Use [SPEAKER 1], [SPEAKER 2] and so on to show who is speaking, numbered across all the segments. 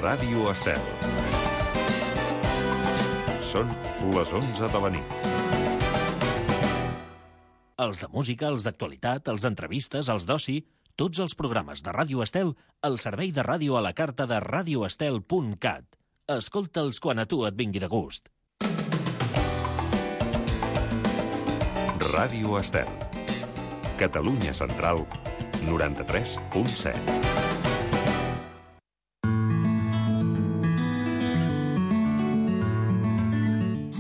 [SPEAKER 1] Ràdio Estel. Són les 11 de la nit.
[SPEAKER 2] Els de música, els d'actualitat, els d'entrevistes, els d'oci, tots els programes de Ràdio Estel al servei de ràdio a la carta de radioestel.cat. Escolta'ls quan a tu et vingui de gust.
[SPEAKER 1] Ràdio Estel. Catalunya Central, 93.7.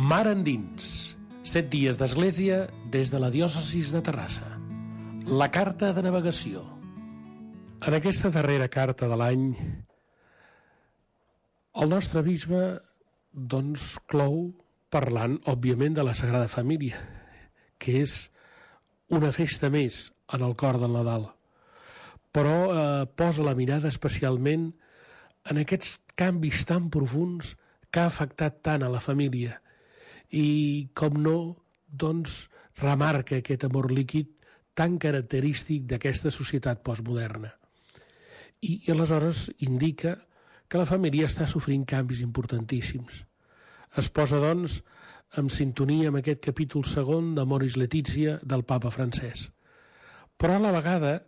[SPEAKER 3] Mar endins. 7 dies d'església des de la diòcesis de Terrassa. La carta de navegació. En aquesta darrera carta de l'any, el nostre bisbe, doncs, clou parlant, òbviament, de la Sagrada Família, que és una festa més en el cor del Nadal. Però posa la mirada especialment en aquests canvis tan profunds que ha afectat tant a la família i, com no, doncs, remarca aquest amor líquid tan característic d'aquesta societat postmoderna. I aleshores indica que la família està sofrint canvis importantíssims. Es posa, doncs, en sintonia amb aquest capítol segon d'Amoris Laetitia del papa Francesc. Però a la vegada,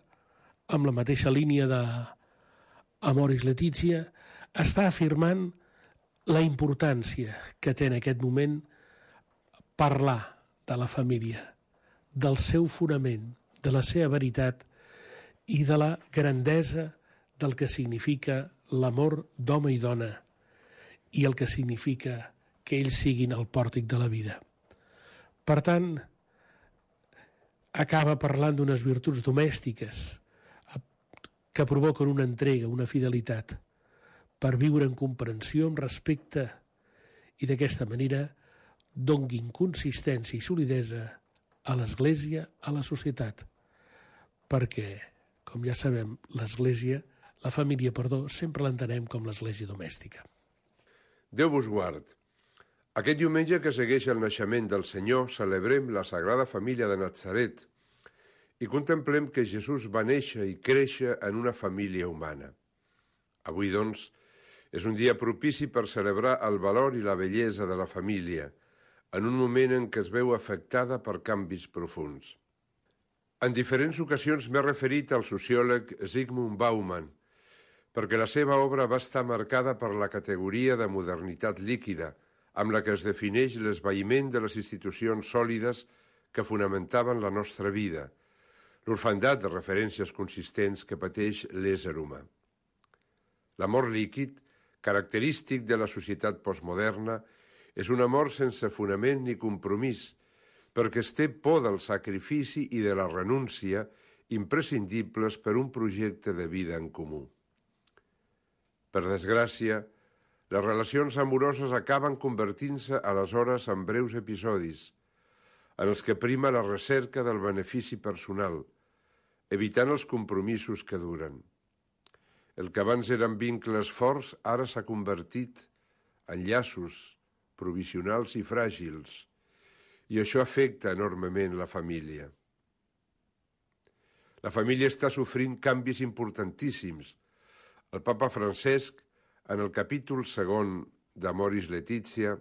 [SPEAKER 3] amb la mateixa línia d'Amoris Laetitia, està afirmant la importància que té en aquest moment parlar de la família, del seu fonament, de la seva veritat i de la grandesa del que significa l'amor d'home i dona i el que significa que ells siguin el pòrtic de la vida. Per tant, acaba parlant d'unes virtuts domèstiques que provoquen una entrega, una fidelitat, per viure en comprensió, en respecte, i d'aquesta manera donguin consistència i solidesa a l'Església, a la societat. Perquè, com ja sabem, la família, sempre l'entenem com l'Església domèstica.
[SPEAKER 4] Déu vos guard. Aquest diumenge que segueix el naixement del Senyor celebrem la Sagrada Família de Natzaret i contemplem que Jesús va néixer i créixer en una família humana. Avui, doncs, és un dia propici per celebrar el valor i la bellesa de la família, en un moment en què es veu afectada per canvis profunds. En diferents ocasions m'he referit al sociòleg Zygmunt Bauman, perquè la seva obra va estar marcada per la categoria de modernitat líquida, amb la que es defineix l'esvaïment de les institucions sòlides que fonamentaven la nostra vida, l'orfandat de referències consistents que pateix l'ésser humà. L'amor líquid, característic de la societat postmoderna, és un amor sense fonament ni compromís, perquè es té por del sacrifici i de la renúncia imprescindibles per un projecte de vida en comú. Per desgràcia, les relacions amoroses acaben convertint-se aleshores en breus episodis, en els que prima la recerca del benefici personal, evitant els compromisos que duren. El que abans eren vincles forts ara s'ha convertit en llaços provisionals i fràgils, i això afecta enormement la família. La família està sofrint canvis importantíssims. El papa Francesc, en el capítol segon d'Amoris Laetitia,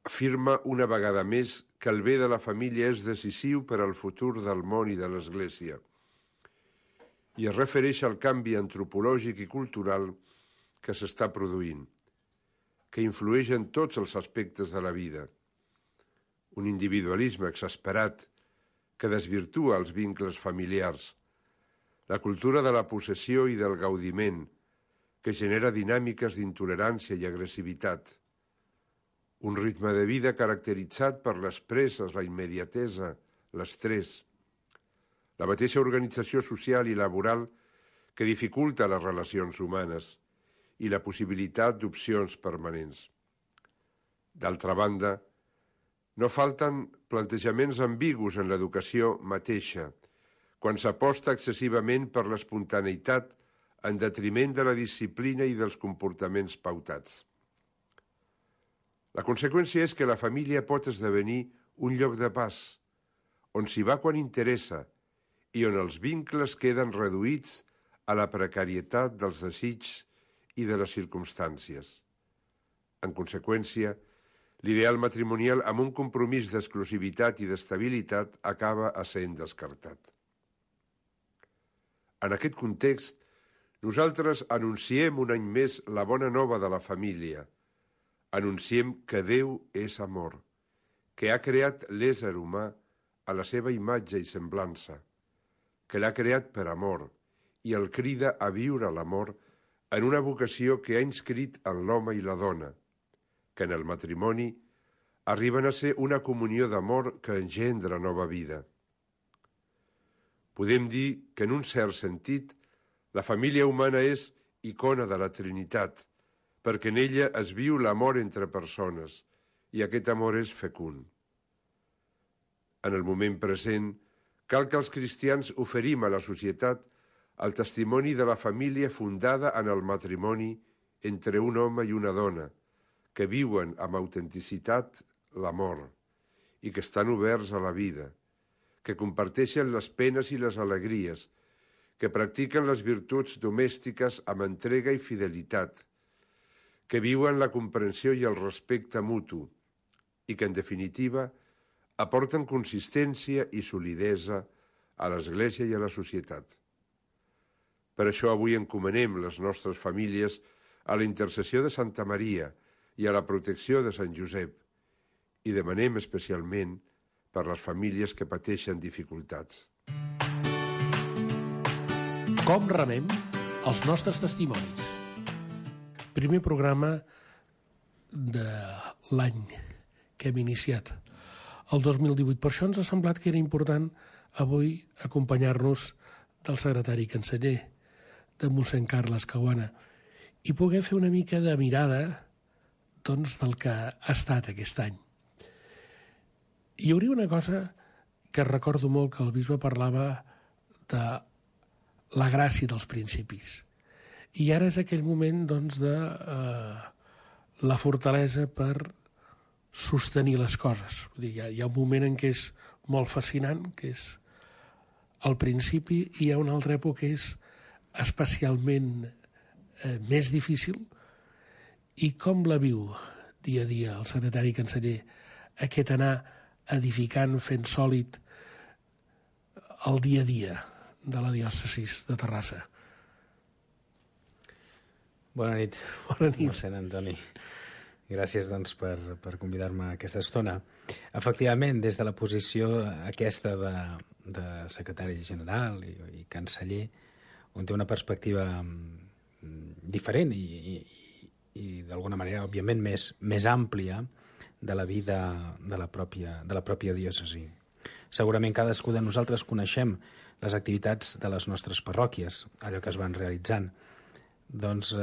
[SPEAKER 4] afirma una vegada més que el bé de la família és decisiu per al futur del món i de l'Església, i es refereix al canvi antropològic i cultural que s'està produint, que influeix en tots els aspectes de la vida. Un individualisme exasperat que desvirtua els vincles familiars, la cultura de la possessió i del gaudiment, que genera dinàmiques d'intolerància i agressivitat, un ritme de vida caracteritzat per les presses, la immediatesa, l'estrès, la mateixa organització social i laboral que dificulta les relacions humanes i la possibilitat d'opcions permanents. D'altra banda, no falten plantejaments ambigus en l'educació mateixa, quan s'aposta excessivament per l'espontaneïtat en detriment de la disciplina i dels comportaments pautats. La conseqüència és que la família pot esdevenir un lloc de pas, on s'hi va quan interessa i on els vincles queden reduïts a la precarietat dels desigs i de les circumstàncies. En conseqüència, l'ideal matrimonial amb un compromís d'exclusivitat i d'estabilitat acaba essent descartat. En aquest context, nosaltres anunciem un any més la bona nova de la família. Anunciem que Déu és amor, que ha creat l'ésser humà a la seva imatge i semblança, que l'ha creat per amor i el crida a viure l'amor en una vocació que ha inscrit en l'home i la dona, que en el matrimoni arriben a ser una comunió d'amor que engendra nova vida. Podem dir que en un cert sentit la família humana és icona de la Trinitat, perquè en ella es viu l'amor entre persones i aquest amor és fecund. En el moment present, cal que els cristians oferim a la societat el testimoni de la família fundada en el matrimoni entre un home i una dona, que viuen amb autenticitat l'amor i que estan oberts a la vida, que comparteixen les penes i les alegries, que practiquen les virtuts domèstiques amb entrega i fidelitat, que viuen la comprensió i el respecte mutu i que, en definitiva, aporten consistència i solidesa a l'Església i a la societat. Per això avui encomanem les nostres famílies a la intercessió de Santa Maria i a la protecció de Sant Josep i demanem especialment per les famílies que pateixen dificultats.
[SPEAKER 3] Com remem els nostres testimonis? Primer programa de l'any que hem iniciat, el 2018. Per això ens ha semblat que era important avui acompanyar-nos del secretari canceller, de mossèn Carles Caguana, i poder fer una mica de mirada doncs, del que ha estat aquest any. Hi hauria una cosa que recordo molt, que el bisbe parlava de la gràcia dels principis. I ara és aquell moment doncs, de la fortalesa per sostenir les coses. Vull dir, hi ha un moment en què és molt fascinant, que és al principi, i hi ha una altra època que és especialment més difícil. I com la viu dia a dia el secretari canceller, aquest anar edificant, fent sòlid el dia a dia de la diòcesi de Terrassa?
[SPEAKER 5] Bona nit.
[SPEAKER 3] Bona nit.
[SPEAKER 5] Mossèn Antoni. Gràcies doncs, per convidar-me a aquesta estona. Efectivament, des de la posició aquesta de secretari general i canceller, on té una perspectiva diferent i d'alguna manera, òbviament, més àmplia de la vida de la pròpia diòcesi. Segurament cadascú de nosaltres coneixem les activitats de les nostres parròquies, allò que es van realitzant. Doncs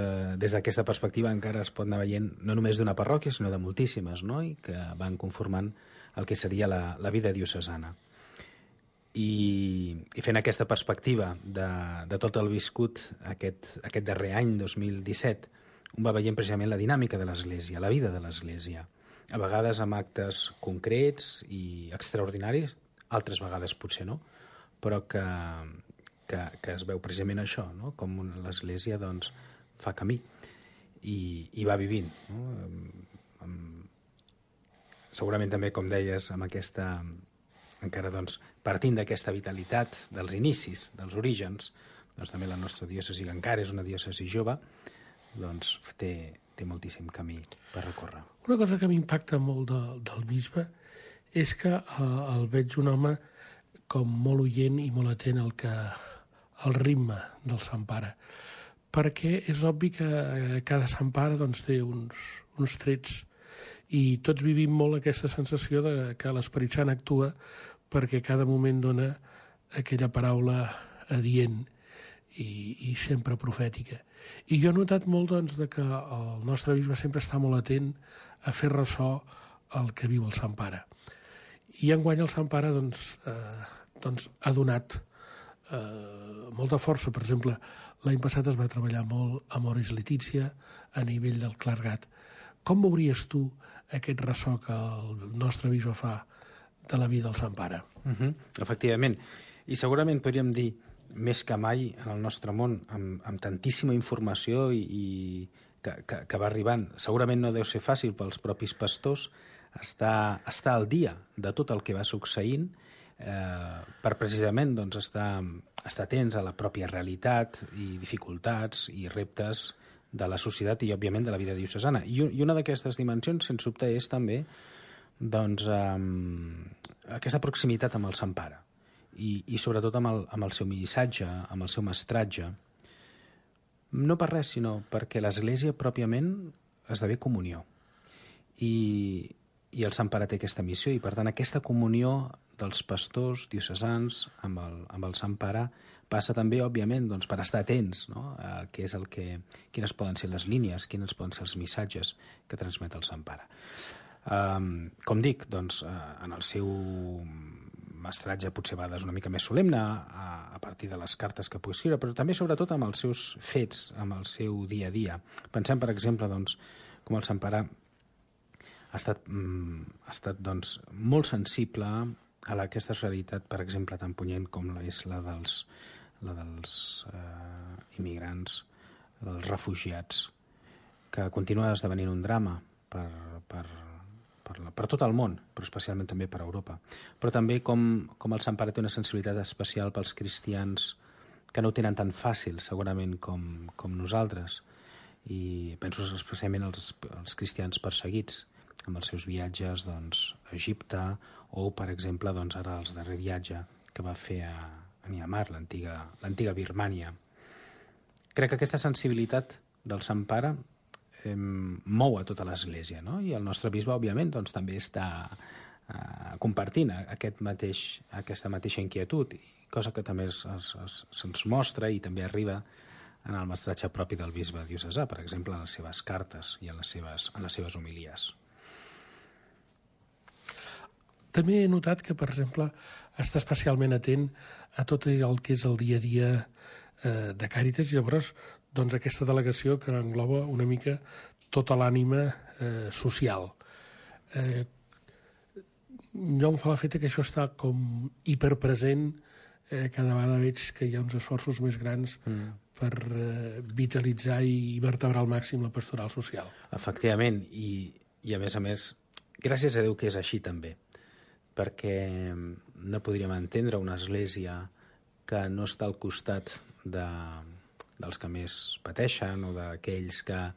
[SPEAKER 5] des d'aquesta perspectiva encara es pot anar veient no només d'una parròquia, sinó de moltíssimes, no? I que van conformant el que seria la vida diocesana. I fent aquesta perspectiva de tot el viscut aquest darrer any, 2017, un va veient precisament la dinàmica de l'Església, la vida de l'Església, a vegades amb actes concrets i extraordinaris, altres vegades potser no, però que es veu precisament això, no? Com l'Església doncs, fa camí i va vivint. No? Segurament també, com deies, amb aquesta, encara doncs, partint d'aquesta vitalitat dels inicis, dels orígens, doncs també la nostra diòcesi, que encara és una diòcesi jove, doncs té moltíssim camí per recórrer.
[SPEAKER 3] Una cosa que m'impacta molt del bisbe és que el veig un home com molt oient i molt atent al ritme del Sant Pare, perquè és obvi que cada Sant Pare doncs, té uns trets i tots vivim molt aquesta sensació de que l'Esperit Sant actua perquè cada moment dona aquella paraula adient i sempre profètica. I jo he notat molt doncs, que el nostre bisbe sempre està molt atent a fer ressò el que viu el Sant Pare. I enguany el Sant Pare doncs, ha donat molta força. Per exemple, l'any passat es va treballar molt a Amoris Laetitia a nivell del clergat. Com veuries tu aquest ressò que el nostre bisbe fa de la vida del Sant Pare?
[SPEAKER 5] Efectivament. I segurament podríem dir més que mai en el nostre món, amb tantíssima informació i que va arribant. Segurament no deu ser fàcil pels propis pastors estar al dia de tot el que va succeint per precisament doncs, estar atents a la pròpia realitat i dificultats i reptes de la societat i, òbviament, de la vida diocesana. I una d'aquestes dimensions, sens dubte, és també doncs, aquesta proximitat amb el Sant Pare i sobretot amb el seu missatge, amb el seu mestratge. No per res, sinó perquè l'Església pròpiament esdevé comunió. I el Sant Pare té aquesta missió i, per tant, aquesta comunió dels pastors diocesans amb el Sant Pare passa també, òbviament, doncs, per estar atents, no? A què és quines poden ser les línies, quins poden ser els missatges que transmet el Sant Pare. Com dic, doncs, en el seu mestratge potser a vegades una mica més solemne a partir de les cartes que pugui escriure, però també sobretot amb els seus fets, amb el seu dia a dia. Pensem, per exemple, doncs, com el Sant Pare ha estat doncs, molt sensible a aquesta realitat, per exemple, tan punyent com és la dels immigrants, dels refugiats, que continua esdevenint un drama per tot el món, però especialment també per Europa. Però també com el Sant Pare té una sensibilitat especial pels cristians que no ho tenen tan fàcil, segurament, com nosaltres. I penso especialment als cristians perseguits, amb els seus viatges doncs, a Egipte o, per exemple, doncs, ara el darrer viatge que va fer a Myanmar, l'antiga Birmània. Crec que aquesta sensibilitat del Sant Pare mou a tota l'Església, no? I el nostre bisbe, òbviament, doncs, també està compartint aquesta mateixa inquietud, cosa que també se'ns mostra i també arriba en el mestratge propi del bisbe diocesà, per exemple, en les seves cartes i en les seves homilies.
[SPEAKER 3] També he notat que, per exemple, està especialment atent a tot el que és el dia a dia de Càritas i llavors doncs, aquesta delegació que engloba una mica tota l'ànima social. Jo em fa l'efecte que això està com hiperpresent, cada vegada veig que hi ha uns esforços més grans per vitalitzar i vertebrar al màxim la pastoral social.
[SPEAKER 5] Efectivament, i a més, gràcies a Déu que és així també, perquè no podríem entendre una església que no està al costat dels que més pateixen o d'aquells que,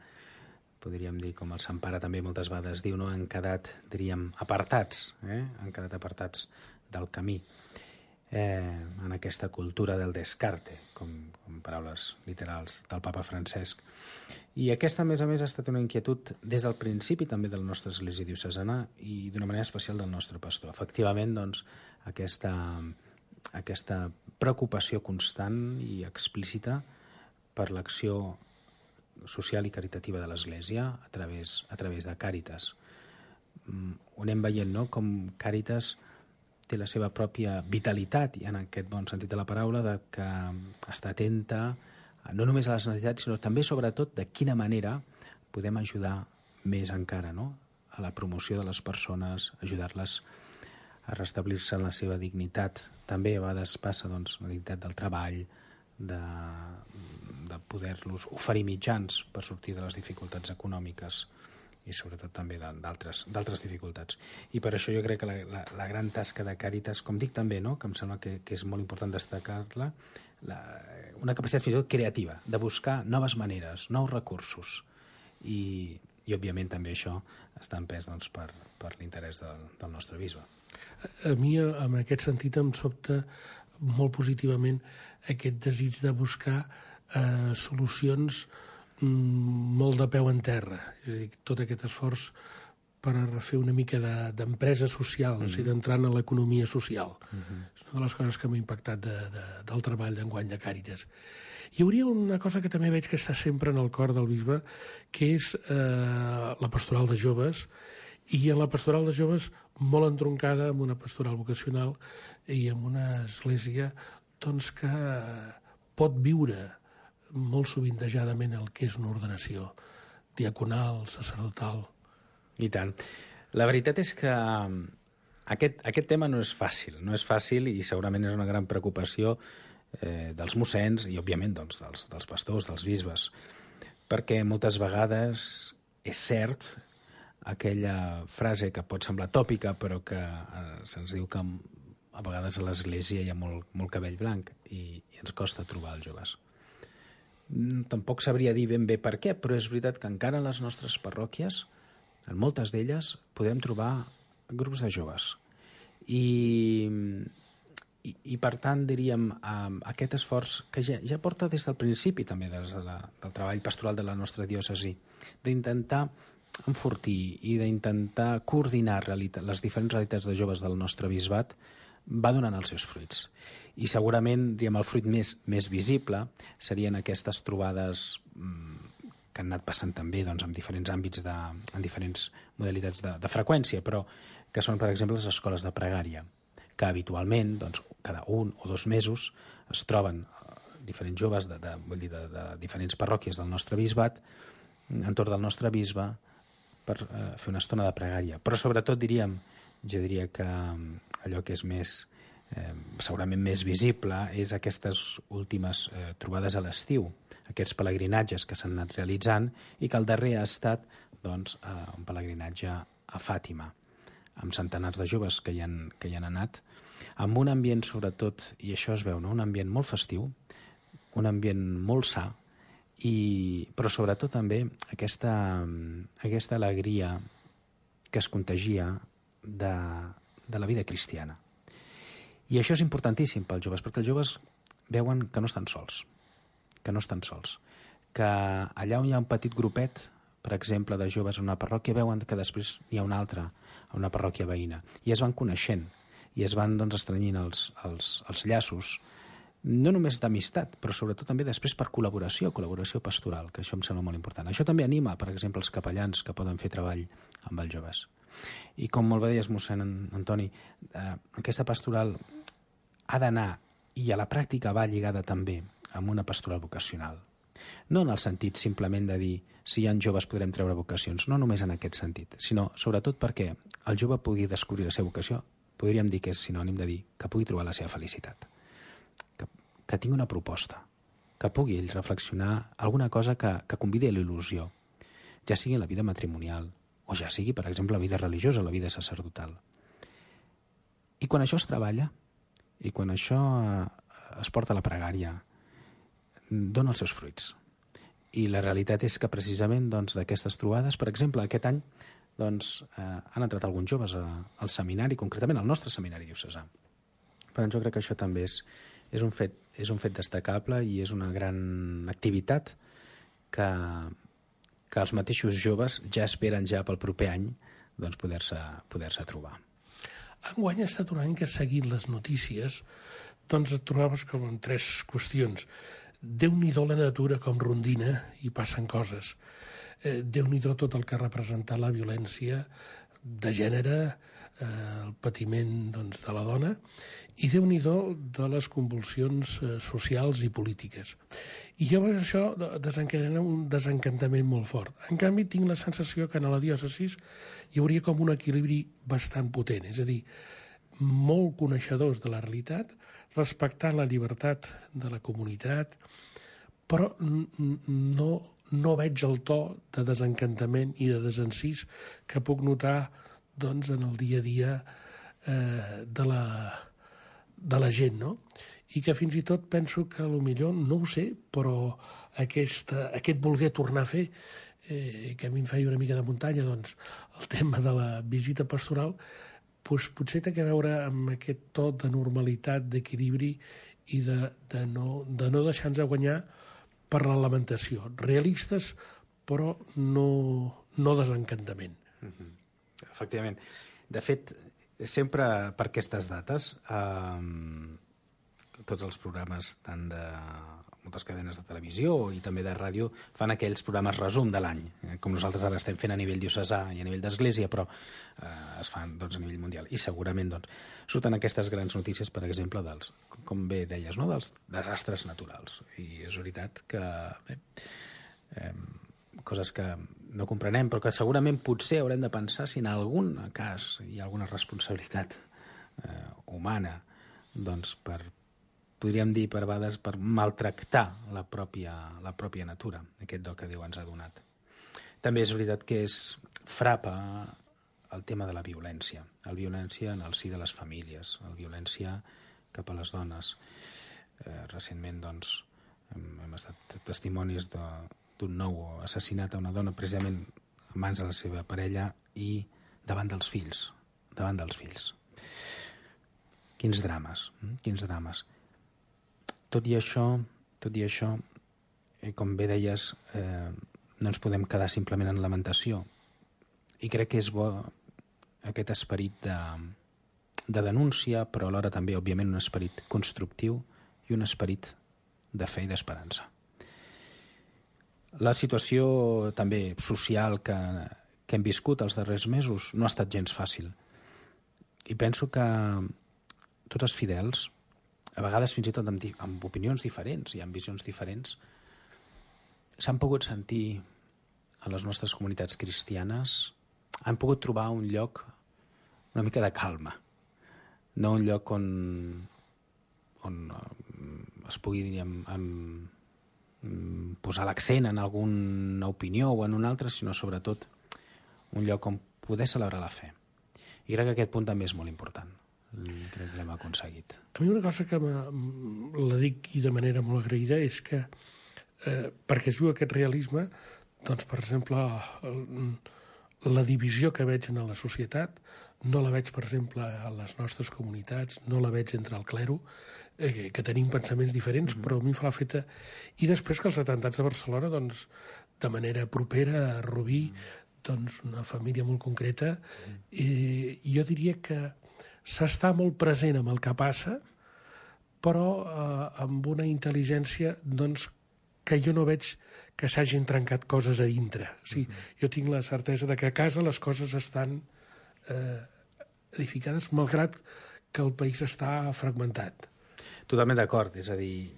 [SPEAKER 5] podríem dir, com el Sant Pare també moltes vegades diu, no? Han quedat, diríem, apartats, han quedat apartats del camí, en aquesta cultura del descarte, com paraules literals del papa Francesc. I aquesta, a més, ha estat una inquietud des del principi també de la nostra església diocesana i d'una manera especial del nostre pastor. Efectivament, doncs, aquesta preocupació constant i explícita per l'acció social i caritativa de l'Església a través de Càritas. Ho anem veient, no?, com Càritas té la seva pròpia vitalitat, i en aquest bon sentit de la paraula, de que està atenta no només a les necessitats, sinó també, sobretot, de quina manera podem ajudar més encara, no?, a la promoció de les persones, ajudar-les a restablir-se en la seva dignitat. També a vegades passa, doncs, la dignitat del treball, de poder-los oferir mitjans per sortir de les dificultats econòmiques i sobretot també d'altres dificultats. I per això jo crec que la gran tasca de Càritas, com dic també, no?, que em sembla que és molt important destacar-la, una capacitat fins i tot creativa, de buscar noves maneres, nous recursos. I òbviament també això està empès doncs, per l'interès del nostre bisbe.
[SPEAKER 3] A mi, en aquest sentit, em sobta molt positivament aquest desig de buscar solucions molt de peu en terra. És a dir, tot aquest esforç per fer una mica d'empresa social, o sigui, d'entrar en l'economia social. És una de les coses que m'ha impactat del treball d'enguany de Càritas. Hi hauria una cosa que també veig que està sempre en el cor del bisbe, que és la pastoral de joves, i en la pastoral de joves molt entroncada amb una pastoral vocacional i amb una església doncs, que pot viure molt sovintejadament el que és una ordenació diaconal, sacerdotal.
[SPEAKER 5] I tant. La veritat és que aquest tema no és fàcil i segurament és una gran preocupació dels mossens i, òbviament, doncs, dels pastors, dels bisbes. Perquè moltes vegades és cert aquella frase que pot semblar tòpica, però que se'ns diu que a vegades a l'Església hi ha molt cabell blanc i ens costa trobar els joves. Tampoc sabria dir ben bé per què, però és veritat que encara en les nostres parròquies, en moltes d'elles, podem trobar grups de joves. I per tant, diríem, aquest esforç que ja porta des del principi també del treball pastoral de la nostra diòcesi, d'intentar enfortir i d'intentar coordinar les diferents realitats de joves del nostre bisbat, va donant els seus fruits. I segurament, diríem, el fruit més visible serien aquestes trobades que han anat passant també doncs, en diferents àmbits, en diferents modalitats de freqüència, però que són, per exemple, les escoles de pregària, que habitualment, doncs, cada 1 o 2 mesos, es troben diferents joves de diferents parròquies del nostre bisbat, entorn del nostre bisbe, per fer una estona de pregària. Però sobretot jo diria que allò que és segurament més visible és aquestes últimes trobades a l'estiu, aquests pelegrinatges que s'han anat realitzant i que el darrer ha estat doncs, un pelegrinatge a Fàtima, amb centenars de joves que hi han anat, amb un ambient sobretot, i això es veu, no? Un ambient molt festiu, un ambient molt sa, però sobretot també aquesta alegria que es contagia de la vida cristiana. I això és importantíssim pels joves, perquè els joves veuen que no estan sols, que allà on hi ha un petit grupet, per exemple, de joves en una parròquia, veuen que després n'hi ha un altre a una parròquia veïna, i es van coneixent, i es van doncs, estrenyint els llaços, no només d'amistat, però sobretot també després per col·laboració pastoral, que això em sembla molt important. Això també anima, per exemple, els capellans que poden fer treball amb els joves. I com molt bé deies, mossèn Antoni, aquesta pastoral ha d'anar, i a la pràctica va lligada també amb una pastoral vocacional. No en el sentit simplement de dir si hi ha joves podrem treure vocacions, no només en aquest sentit, sinó sobretot perquè el jove pugui descobrir la seva vocació, podríem dir que és sinònim de dir que pugui trobar la seva felicitat, que tingui una proposta, que pugui ell reflexionar alguna cosa que convidi a l'il·lusió, ja sigui en la vida matrimonial, o ja sigui, per exemple, la vida religiosa, la vida sacerdotal. I quan això es treballa, i quan això es porta a la pregària, dona els seus fruits. I la realitat és que precisament d'aquestes trobades, per exemple, aquest any han entrat alguns joves al seminari, concretament al nostre seminari diocesà. Per tant, jo crec que això també és un fet destacable i és una gran activitat que els mateixos joves ja esperen ja pel proper any poder-se trobar.
[SPEAKER 3] Enguany ha estat un any que, seguint les notícies, et trobaves com en 3 qüestions. Déu-n'hi-do la natura com rondina i passen coses. Déu-n'hi-do tot el que ha representat la violència de gènere, el patiment de la dona, i Déu-n'hi-do de les convulsions socials i polítiques. I llavors això desencadena un desencantament molt fort. En canvi, tinc la sensació que en la diòcesis hi hauria com un equilibri bastant potent, és a dir, molt coneixedors de la realitat, respectant la llibertat de la comunitat, però no veig el to de desencantament i de desencís que puc notar en el dia a dia de la gent, no? I que fins i tot penso que potser, no ho sé, però aquest voler tornar a fer, que a mi em feia una mica de muntanya, el tema de la visita pastoral, potser té a veure amb aquest to de normalitat, d'equilibri i de no deixar-nos guanyar per la lamentació. Realistes, però no desencantament.
[SPEAKER 5] Efectivament. De fet, sempre per aquestes dates, tots els programes, tant de moltes cadenes de televisió i també de ràdio, fan aquells programes resum de l'any, com nosaltres ara estem fent a nivell diocesà i a nivell d'església, però es fan a nivell mundial. I segurament surten aquestes grans notícies, per exemple, com bé deies, no? Dels desastres naturals. I és veritat que coses que no comprenem, però que segurament potser haurem de pensar si en algun cas hi ha alguna responsabilitat humana per podríem dir per vegades per maltractar la pròpia natura, aquest do que Déu ens ha donat. També és veritat que frapa el tema de la violència en el si de les famílies, la violència cap a les dones. Recentment, doncs, hem estat testimonis d'un nou assassinat a una dona precisament a mans de la seva parella i davant dels fills. Quins drames. Tot i això, com bé deies, no ens podem quedar simplement en lamentació. I crec que és bo aquest esperit de denúncia, però alhora també, òbviament, un esperit constructiu i un esperit de fe i d'esperança. La situació també social que hem viscut els darrers mesos no ha estat gens fàcil. I penso que tots els fidels, a vegades fins i tot amb opinions diferents i amb visions diferents, s'han pogut sentir a les nostres comunitats cristianes, han pogut trobar un lloc una mica de calma, no un lloc on es pugui, diríem, posar l'accent en alguna opinió o en una altra, sinó sobretot un lloc on poder celebrar la fe. I crec que aquest punt també és molt important. Crec que l'hem aconseguit.
[SPEAKER 3] A mi una cosa que la dic i de manera molt agraïda és que perquè es viu aquest realisme, doncs, per exemple, la divisió que veig en la societat no la veig, per exemple, a les nostres comunitats, no la veig entre el clero, que tenim pensaments diferents, però a mi em fa la feta. I després que els atemptats de Barcelona, doncs, de manera propera a Rubí, doncs, una família molt concreta, jo diria que s'està molt present amb el que passa, però amb una intel·ligència, doncs, que jo no veig que s'hagin trencat coses a dintre. O sigui, jo tinc la certesa de que a casa les coses estan edificades, malgrat que el país està fragmentat.
[SPEAKER 5] Totalment d'acord, és a dir,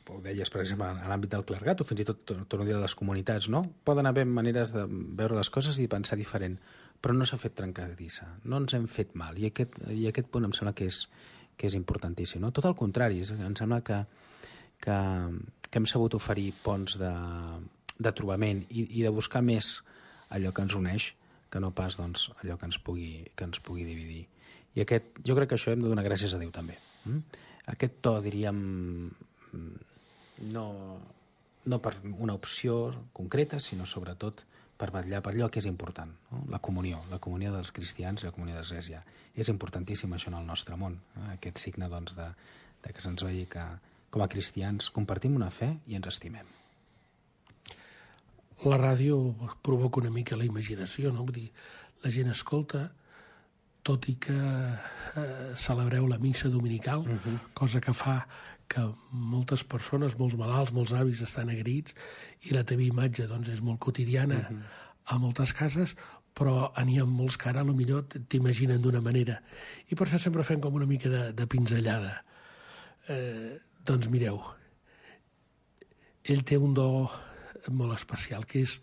[SPEAKER 5] ho deies, per exemple, en l'àmbit del clergat, o fins i tot, torno a dir, a les comunitats, no? Poden haver maneres de veure les coses i pensar diferent, però no s'ha fet trencadissa, no ens hem fet mal, i aquest punt em sembla que és importantíssim, no? Tot el contrari, em sembla que hem sabut oferir ponts de trobament i de buscar més allò que ens uneix que no pas, doncs, allò que ens pugui dividir. I jo crec que això hem de donar gràcies a Déu també. Aquest to, diríem, no per una opció concreta, sinó sobretot per vetllar per allò que és important, no? La comunió dels cristians i la comunió de l'Església. És importantíssim això en el nostre món, aquest signe, doncs, de que se'ns vegi que com a cristians compartim una fe i ens estimem.
[SPEAKER 3] La ràdio provoca una mica la imaginació, no? Vull dir, la gent escolta, tot i que celebreu la missa dominical, cosa que fa que moltes persones, molts malalts, molts avis estan agraïts, i la teva imatge, doncs, és molt quotidiana a moltes cases, però n'hi ha molts que ara potser t'imaginen d'una manera. I per això sempre fem com una mica de pinzellada. Doncs mireu, ell té un do molt especial, que és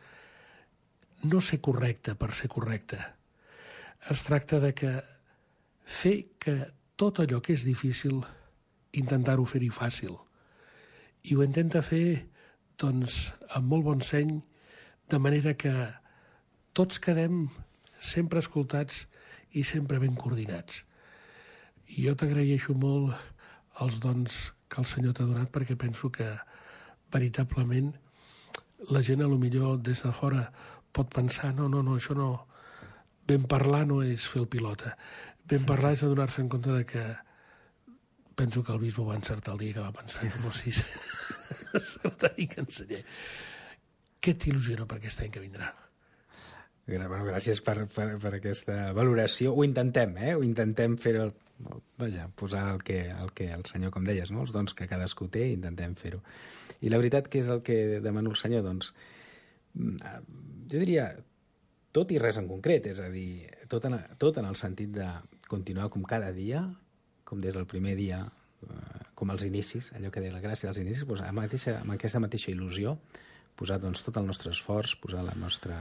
[SPEAKER 3] no ser correcte per ser correcte. Es tracta de fer que tot allò que és difícil, intentar-ho fer-hi fàcil. I ho intenta fer, doncs, amb molt bon seny, de manera que tots quedem sempre escoltats i sempre ben coordinats. I jo t'agraeixo molt els dons que el Senyor t'ha donat, perquè penso que veritablement la gent potser des de fora pot pensar no, això no, ben parlar no és fer el pilota, ben parlar és adonar-se en compte de que penso que el bisbe va encertar el dia que va pensar que fossis secretari canceller. Què t'il·lusiona per aquest any que vindrà?
[SPEAKER 5] Bueno, gràcies per aquesta valoració. Ho intentem, ho intentem fer posar el que el Senyor, com deies, no? Els dons que cadascú té, intentem fer-ho. I la veritat que és el que demano al Senyor, doncs, jo diria tot i res en concret, és a dir, tot en el sentit de continuar com cada dia, com des del primer dia, com als inicis, allò que deia la gràcia dels inicis, doncs, amb aquesta mateixa il·lusió, posar, doncs, tot el nostre esforç, posar la nostra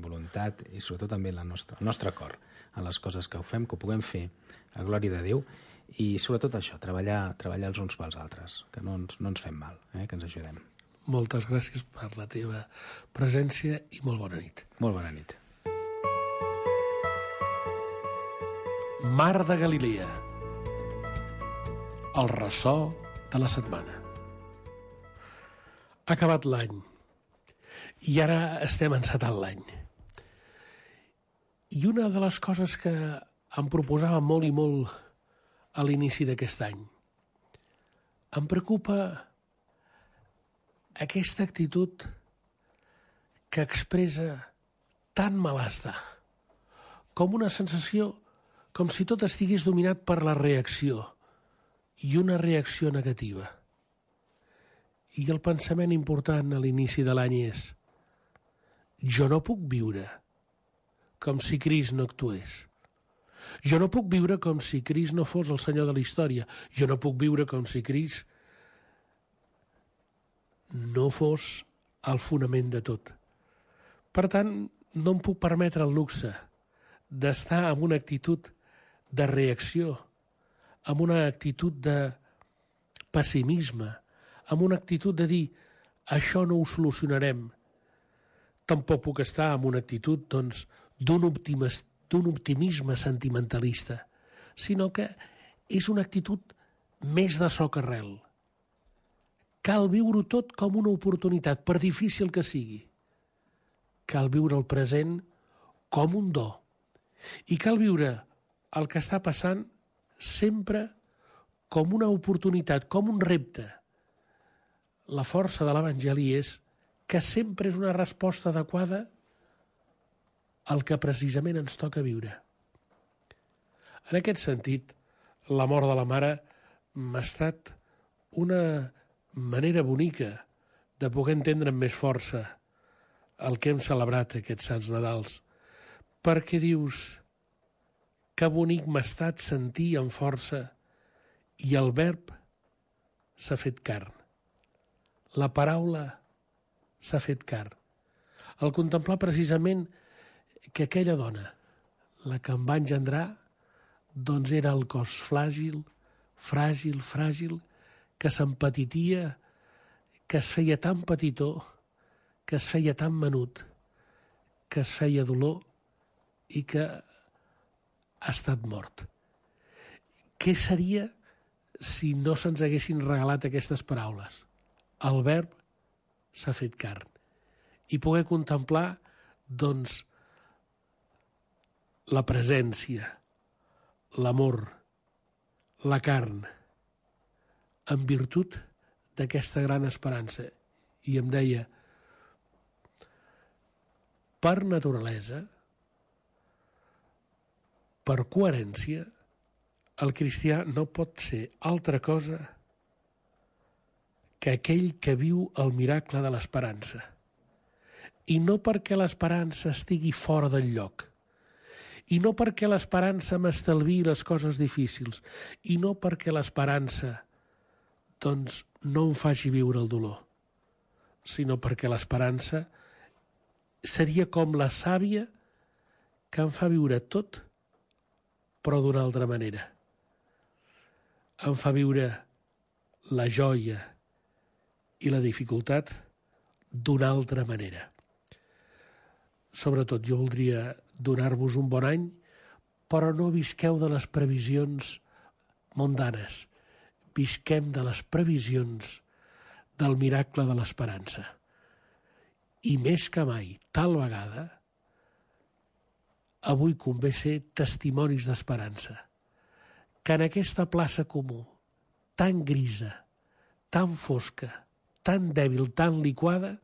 [SPEAKER 5] voluntat i sobretot també el nostre cor en les coses que ho fem, que ho puguem fer a glòria de Déu I sobretot això, treballar els uns pels altres, que no ens fem mal, que ens ajudem.
[SPEAKER 3] Moltes gràcies per la teva presència i molt bona nit.
[SPEAKER 5] Molt bona nit.
[SPEAKER 3] Mar de Galilea. El ressò de la setmana. Ha acabat l'any i ara estem encetant l'any. I una de les coses que em proposava molt i molt a l'inici d'aquest any, em preocupa aquesta actitud que expressa tant malestar, com una sensació com si tot estigués dominat per la reacció, i una reacció negativa. I el pensament important a l'inici de l'any és: jo no puc viure com si Crist no actués. Jo no puc viure com si Crist no fos el Senyor de la història. Jo no puc viure com si Crist no fos el fonament de tot. Per tant, no em puc permetre el luxe d'estar amb una actitud de reacció, amb una actitud de pessimisme, amb una actitud de dir això no ho solucionarem. Tampoc puc estar amb una actitud d'un optimisme sentimentalista, sinó que és una actitud més de soc arrel. Cal viure tot com una oportunitat, per difícil que sigui. Cal viure el present com un do. I cal viure el que està passant sempre com una oportunitat, com un repte. La força de l'Evangeli és que sempre és una resposta adequada al que precisament ens toca viure. En aquest sentit, la mort de la mare m'ha estat una manera bonica de poder entendre amb més força el que hem celebrat aquests Sants Nadals, perquè dius: que bonic m'ha estat sentir amb força i el verb s'ha fet carn. La paraula s'ha fet carn. Al contemplar precisament que aquella dona, la que em va engendrar, doncs era el cos fràgil, que s'empetitia, que es feia tan petitó, que es feia tan menut, que es feia dolor i que ha estat mort. Què seria si no se'ns haguessin regalat aquestes paraules? El verb s'ha fet carn. I poder contemplar, doncs, la presència, l'amor, la carn, en virtut d'aquesta gran esperança. I em deia: per naturalesa, per coherència, el cristià no pot ser altra cosa que aquell que viu el miracle de l'esperança. I no perquè l'esperança estigui fora del lloc, i no perquè l'esperança m'estalviï les coses difícils, i no perquè l'esperança, doncs, no em faci viure el dolor, sinó perquè l'esperança seria com la sàvia que em fa viure tot, però d'una altra manera. Em fa viure la joia i la dificultat d'una altra manera. Sobretot, jo voldria donar-vos un bon any, però no visqueu de les previsions mundanes. Visquem de les previsions del miracle de l'esperança. I més que mai, tal vegada, avui convé ser testimonis d'esperança. Que en aquesta plaça comú, tan grisa, tan fosca, tan dèbil, tan liquada,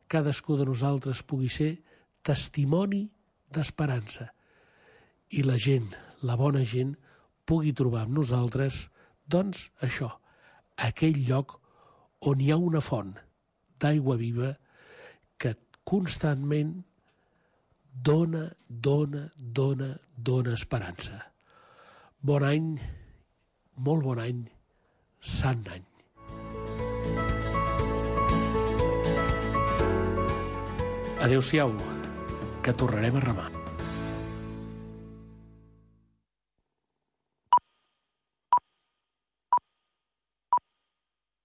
[SPEAKER 3] cadascú de nosaltres pugui ser testimoni d'esperança. I la gent, la bona gent, pugui trobar amb nosaltres, doncs, això, aquell lloc on hi ha una font d'aigua viva que constantment dona esperança. Bon any, molt bon any, sant any. Adéu-siau, que tornarem a remar.